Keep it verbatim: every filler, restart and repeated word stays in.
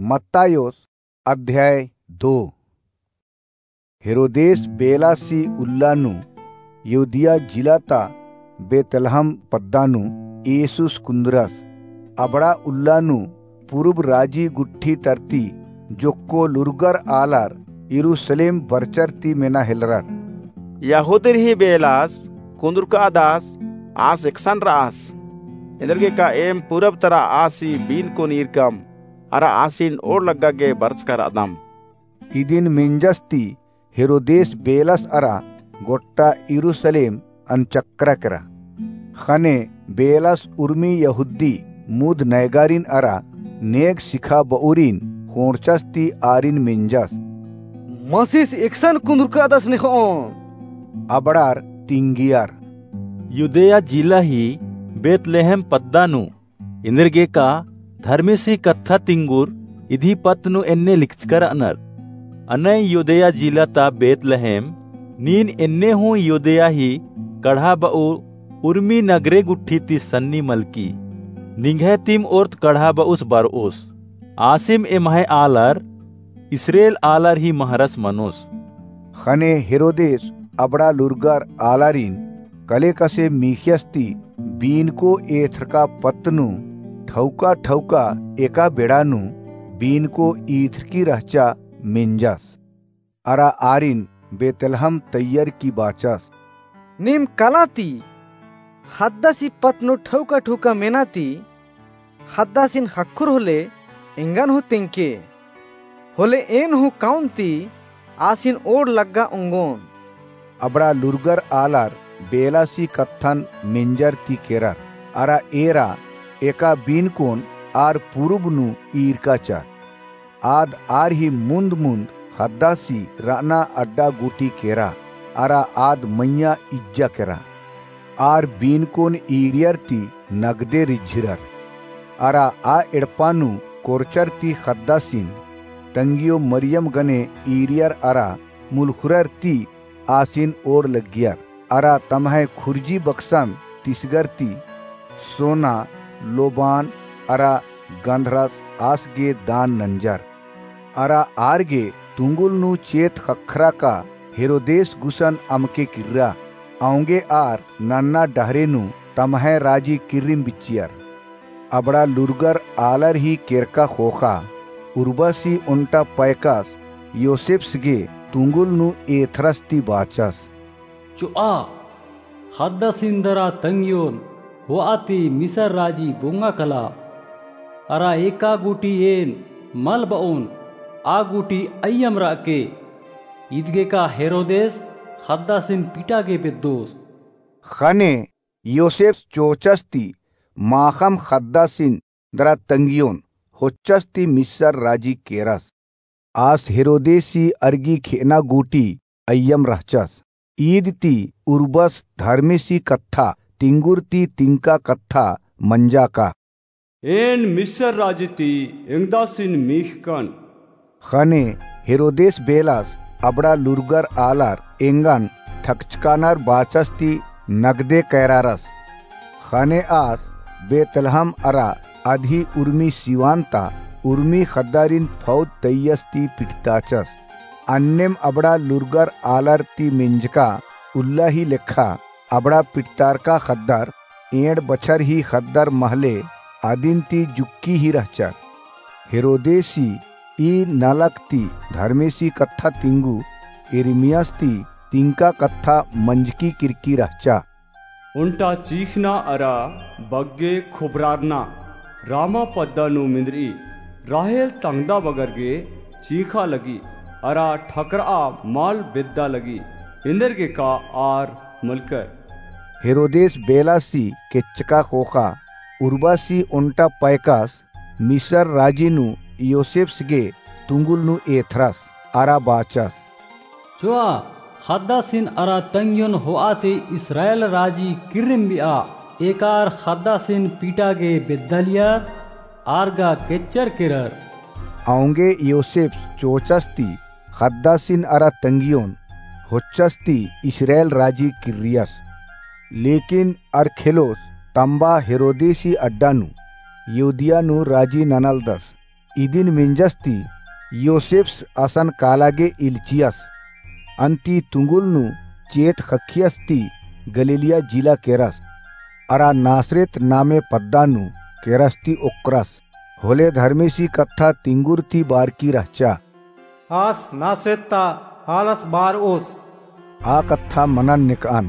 मत्तायोस अध्याय दो। हेरोदेस बेलासी उल्ला नू यहूदिया जिला ता बेतलहम पद्दा नू येसुस कुन्दरस। अबड़ा उल्ला नू पुरुब राजी गुट्ठी तरती जोक्को लूरगर आलर यरूसलेम बरचर ती मेना हेलरर। यहूदिर ही बेलास कुन्दुरकादस, आस एकसन रअस। एन्देरगेका एम पुरब तरा आसी बीनकोन ईरकम, अरा आसिन ओड़ लग्गा गे बरचका रअदम। इदिन मेंजस ती हेरोदेस बेलास अरा गोट्टा यरूसलेम अनचक्करा केरा। ख़ने बेलास उर्मी यहूदी मुद नैगारिन अरा नेग सिखाबउरिन ख़ोंड़चस ती आरिन मेंजस। मसीस एकसन कुन्दुरकादस नेख़ओन। अबड़ार तिंगियर। यूदया जिला ही बेतलेहेम पद्दा नू एन्देरगेका धर्मेसी कत्था तिंगुर इदी पत्त नू एन्ने लिखचका रअनर। अनय यूदया जिला ता बेतलेहेम, नीन एन्ने हूँ यूदया ही कड़हा बउ उर्मी नगरे गुट्ठी ती सन्नी मलकी। निंग्है तिम ओर्त कड़हा बउस बरओस। आसिम एम्है आलर, इस्रेल आलर ही महरस मनोस। ख़ने हेरोदेस अबड़ा लूरगर आलारिन कलेकसे मीख़ियस ती बीनको एथरका पत्त नू ठौका ठौका एका बेड़ा नू बीनको ईथरकी रहचा मेंजस। अरा आरिन बेतलहम तैयरकी बाचस। नीम कला ती ख़द्दासी पत्त नू ठौका ठौका मेना ती ख़द्दासिन ख़क्खुर होले एंगन हूँ तेंगके। होले एन हूँ काउन ती आसिन ओड़ लग्गा ओंगोन। अबड़ा लूरगर आलर बेलासी कत्थन मेंजर ती केरर। अरा एरा एका बीनकोन आर पुरुब नू ईरकाचर। आद आर ही मुन्द मुन्द ख़द्दासी रअना अड्डा गूटी केरा। अरा आद मइय्याँ इज्जा केरा। आर बीनकोन ईरियर ती नगदे रिझिरर। अरा आ एड़पा नू कोरचर ती ख़द्दासिन तंगियो मरियम गने ईरियर अरा मुलख़ुरर ती आसिन ओड़ लग्गियर। अरा तम्है खुर्जी बक्सन तिसगर ती सोना, लोबान अरा गंधरस आस गे दान नंजर। अरा आर गे तुंगुल नू चेत ख़क्खरा का हेरोदेस गुसन अमके किर्रा। औंगे आर नन्ना डहरे नू तम्है राजी किर्रिम बिच्चियर। अबड़ा लूरगर आलर ही केरका ख़ोख़ा उर्बसी ओन्टा पैकस योसेप्स गे तुंगुल नू एथरस ती बाचस। चोआ, ख़द्दासिन दरा तंगियोन होआ ती मिसर राजी बोंगा कला। अरा एका गूटी एन मल बओन, आ गूटी अइय्यम रअके। इदगेका हेरोदेस ख़द्दासिन पीटा गे बेद्दोस। ख़ने योसेप्स चोचस ती माख़म ख़द्दासिन दरा तंगियोन होच्चस ती मिसर राजी केरस। आस हेरोदेसी अरगी खेअना गूटी अइय्यम रहचस। ईद ती उर्बस धर्मेसी कत्था तिंगुर ती तिंका कत्था मंजा का। एन मिसर राजी ती एंगदासिन मीख़कन। ख़ने हेरोदेस बेलास अबड़ा लूरगर आलर एंगन ठकचकानर बाचस ती नगदे कैरारस। ख़ने आस बेतलहम अरा अदही उर्मी सिवान ता उर्मी ख़द्दारिन फौज तैयस ती पिटताचस। अन्नेम अबड़ा लूरगर आलर ती मेंजका उल्ला ही लेखा अबड़ा पिटतारका ख़द्दर एंड़ बछर ही ख़द्दर महले अदिन ती जुक्की ही रहचर। हेरोदेसी ई नलख ती धर्मेसी कत्था तिंगु यिर्मियस ती तिंका कत्था मंजकी किरकी रहचा। ओन्टा चीख़ना अरा बग्गे खोबरारना रामा पद्दा नू मिन्द्रई। राहेल तंगदा बगर गे चीख़ा लगी अरा ठकरआ मल बेद्दा लगी। एन्देरगेका आर मलकर। हेरोदेस बेलासी केच्चका ख़ोख़ा उर्बासी ओन्टा पैकास मिसर राजी नू योसेप्स गे तुंगुल नू एथरस अरा बाचस। चोआ, ख़द्दासिन अरा तंग्योन होआ ती इस्राएल राजी किर्रिम बिआ। एका आर ख़द्दासिन पीटा गे बेद्दालियर, आर गा केच्चर केरर। औंगे योसेप्स चोचस ती ख़द्दासिन अरा तंग्योन होच्चस ती इस्राएल राजी किर्रियस। लेकिन अरखेलोस तम्बा हेरोदेसी अड्डा नू यहूदिया नू राजी ननालदस। इदिन मेंजस ती योसेप्स असन काला गे इल्चियस। अन्ती तुंगुल नू चेत ख़क्खियस ती गलीलिया जिला केरस। अरा नासरेत नामे पद्दा नू केरस ती ओक्करस। होले धर्मेसी कत्था तिंगुर ती बारकी रहचा। आस नासरेत ता हालस बारओस। आ कत्था मनन नेकअन।